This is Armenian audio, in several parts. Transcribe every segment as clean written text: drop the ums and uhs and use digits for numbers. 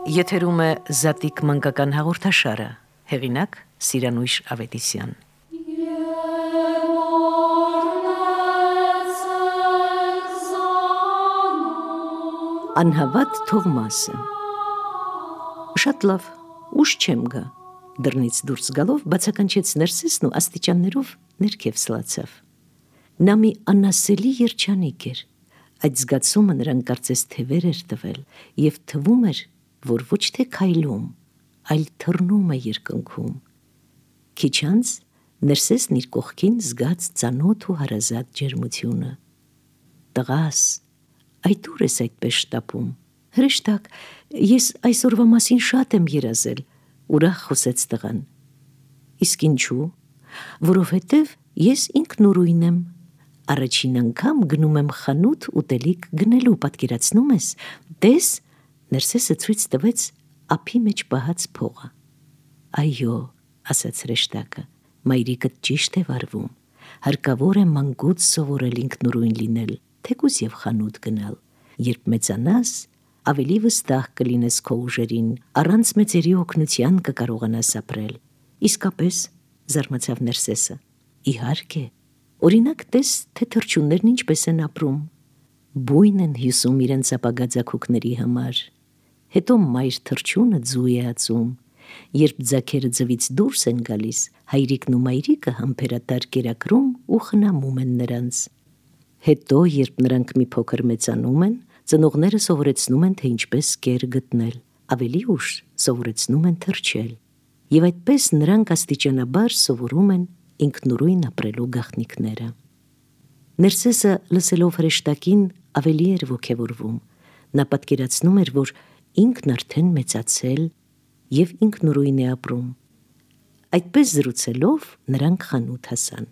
Եթերում է Զատիկ մանկական հաղորդաշարը, հեղինակ Սիրանույշ Ավետիսյան։ Անհավատ Թովմասը։ Շատ լավ, ուշ չեմ գա, դռնից դուրս գալով բացականչեց Ներսեսն ու աստիճաններով ներքև սլացավ։ Նա մի անասելի երջանիկ էր, այդ զգացումը նրան կարծես թևեր էր տվել և թվում էր, որ ոչ թե քայլում, այլ թռնում է երկնքում։ Քիչ անց Ներսեսն իր կողքին զգաց ծանոթ ու հարազատ ջերմությունը։ Տղաս, այդ ուր ես այդպես շտապում։ Հրեշտակ, ես այսօրվա մասին շատ եմ երազել, ուրախ խոսեց տղան։ Իսկ ինչու։ Որովհետև ես ինքնուրույն եմ։ Առաջին անգամ գնում եմ խանութ ուտելիք գնելու, պատկերացնում ես, տես, Ներսեսը ցույց տվեց ափի մեջ պահած փողը։ Այո, ասաց հրեշտակը, մայրիկդ ճիշտ է վարվում, հարկավոր է մանկուց սովորել ինքնուրույն լինել, թեկուզ և խանութ գնալ, երբ մեծանաս, ավելի վստահ կլինես քո ուժերին, առանց մեծերի օգնության կկարողանաս ապրել։ Իսկապես, զարմացավ Ներսեսը, իհարկե, օրինակ տես, թե թռչուններն ինչպես են ապրում, բույն են հյուսում իրենց ապագա ձագուկների համար, հետո մայր թռչունը ձու է ածում, երբ ձագերը ձվից դուրս են գալիս, հայրիկն ու մայրիկը համբերատար կերակրում ու խնամում են նրանց։ Հետո, երբ նրանք մի փոքր մեծանում են, ծնողները սովորեցնում են, թե ինչպես կեր գտնել, ավելի ուշ սովորեցնում են թռչել, և այդպես նրանք աստիճանաբար սովորում են ինքնուրույն ապրելու գաղտնիքները։ Ներսեսը լսելով հրեշտակին ավելի էր ոգևորվում, նա պատկերացնում էր, որ ինքն արդեն մեծացել և ինքնուրույն է ապրում։ Այդպես զրուցելով նրանք խանութ հասան։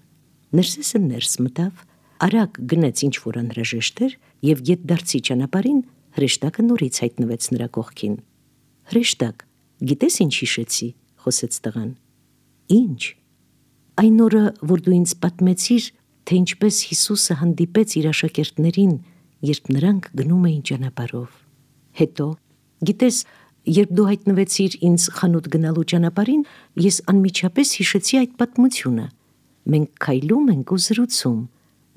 Ներսեսը ներս մտավ, արագ գնեց ինչ-որ անհրաժեշտ էր և գետդարձի ճանապարհին հրեշտակը նորից հայտնվեց նրա կողքին։ Հրեշտակ, գիտես ինչ հիշեցի, խոսեց տղան։ Ինչ։ Այն օրը, որ դու ինձ պատմեցիր, թե ինչպես Հիսուսը հանդիպեց իր աշակերտներին, երբ նրանք գնում էին ճանապարհով։ Հետո, գիտես, երբ դու հայտնվեցիր ինձ խանութ գնալու ճանապարհին, ես անմիջապես հիշեցի այդ պատմությունը։ Մենք քայլում ենք ու զրուցում,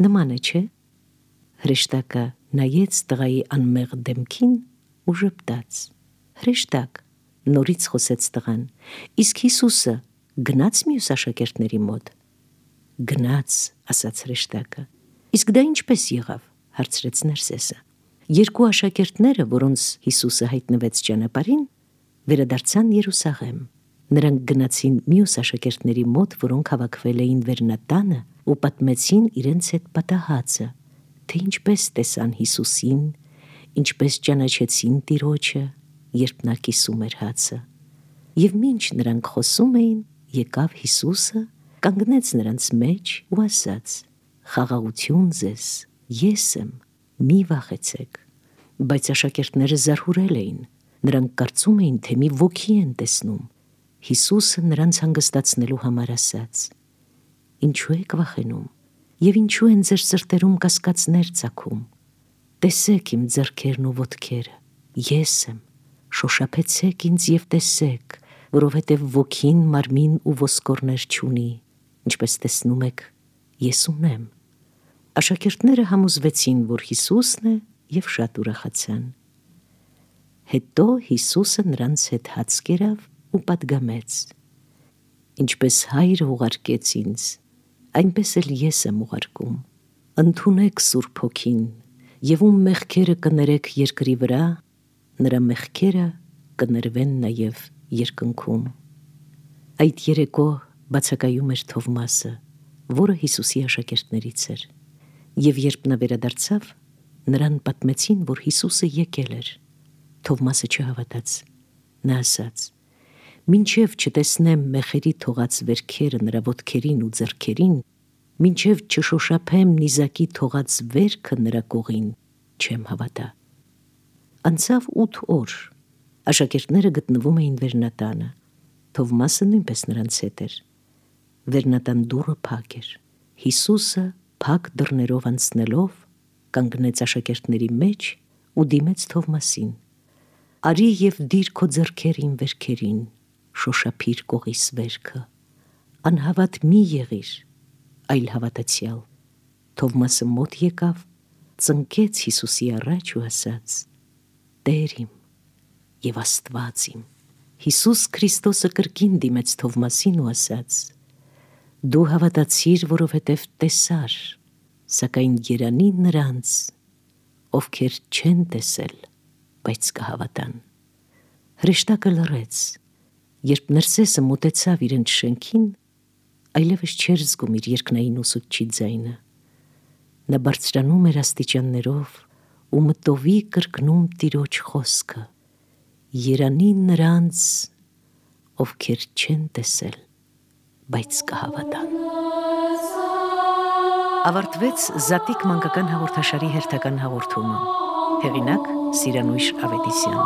նման է, չէ՞։ Հրեշտակը նայեց տղայի անմեղ դեմքին ու ժպտաց։ Հրեշտակ, նորից խոսեց տղան, իսկ Հիսուսը գնաց մյուս աշակերտների մոտ։ Գնաց, ասաց հրեշտակը։ Իսկ դա ինչպես եղավ, հարցրեց Ներսեսը։ Երկու աշակերտները, որոնց Հիսուսը հայտնվեց ճանապարհին, վերադարձան Երուսաղեմ։ Նրանք գնացին մյուս աշակերտների մոտ, որոնք հավաքվել էին Վերնատանը ու պատմեցին իրենց հետ պատահածը, թե ինչպես տեսան Հիսուսին, ինչպես ճանաչեցին Տիրոջը, երբ նա կիսում էր հացը։ Եվ մինչ նրանք խոսում էին, եկավ Հիսուսը, կանգնեց նրանց մեջ ու ասաց. «Խաղաղություն ձեզ, ես եմ, մի վախեցեք»։ Բայց աշակերտները զարհուրել էին, նրանք կարծում էին, թե մի ոգի են տեսնում։ Հիսուսը նրանց հանգստացնելու համար ասաց. «Ինչու եք վախենում, և ինչու են ձեր սրտերում կասկածներ ծագում։ Տեսեք իմ ձեռքերն ու ոտքերը, ես եմ, շոշափեցեք ինձ և տեսեք, որովհետև ոգին մարմին ու ոսկորներ չունի, ինչպես տեսնում եք, ես ունեմ»։ Աշակերտները համոզվեցին, որ Հիսուսն է և շատ ուրախացան։ Հետո Հիսուսը նրանց հետ հաց կերավ ու պատգամեց. «Ինչպես Հայրը ուղարկեց ինձ, այնպես էլ ես եմ ուղարկում։ Ընդունեք Սուրբ Հոգին, և ում մեղքերը կներեք երկրի վրա, նրա մեղքերը կներվեն նաև երկնքում»։ Այդ երեկո բացակայում էր Թովմասը, որը Հիսուսի աշակերտներից էր, և երբ նա վերադարձավ, նրան պատմեցին, որ Հիսուսը եկել էր։ Թովմասը չհավատաց։ Նա ասաց. «Մինչև չտեսնեմ մեխերի թողած վերքերը նրա ոտքերին ու ձեռքերին, մինչև չշոշափեմ նիզակի թողած վերքը նրա կողին, չեմ հավատա»։ Անցավ 8 օր։ Աշակերտները գտնվում էին Վերնատանը։ Թովմասը նույնպես նրանց հետ էր։ Վերնատան դուռը փակ էր։ Հիսուսը փակ դռներով անցնելով կանգնեց աշակերտների մեջ ու դիմեց Թովմասին։ Արի և դիր քո ձեռքերին վերքերին, շոշափիր կողիս վերքը, անհավատ մի եղիր, այլ հավատացյալ։ Թովմասը մոտ եկավ, ծնկեց Հիսուսի առաջ ու ասաց. Տեր իմ և Աստված իմ։ Հիսուս Քրիստոսը կրկին դիմեց Թովմասին ու ասաց. Դու հավատացիր, որովհետև տեսար, սակայն երանի նրանց, ովքեր չեն տեսել, բայց կհավատան։ Հրեշտակը լռեց, երբ Նրսեսը մոտեցավ իրենց շենքին, այլևս չէր զգում իր երկնային ուսուցչի ձայնը։ Նա բարձրանում էր աստիճաններով ու մտովի կրկնում Տիրոջ խոսքը. երանի նրանց, ովքեր չեն տեսել, բայց կհավատան։ Ավարտվեց Զատիկ մանկական հաղորդաշարի հերթական հաղորդումը։ Հեղինակ՝ Սիրանույշ Ավետիսյան։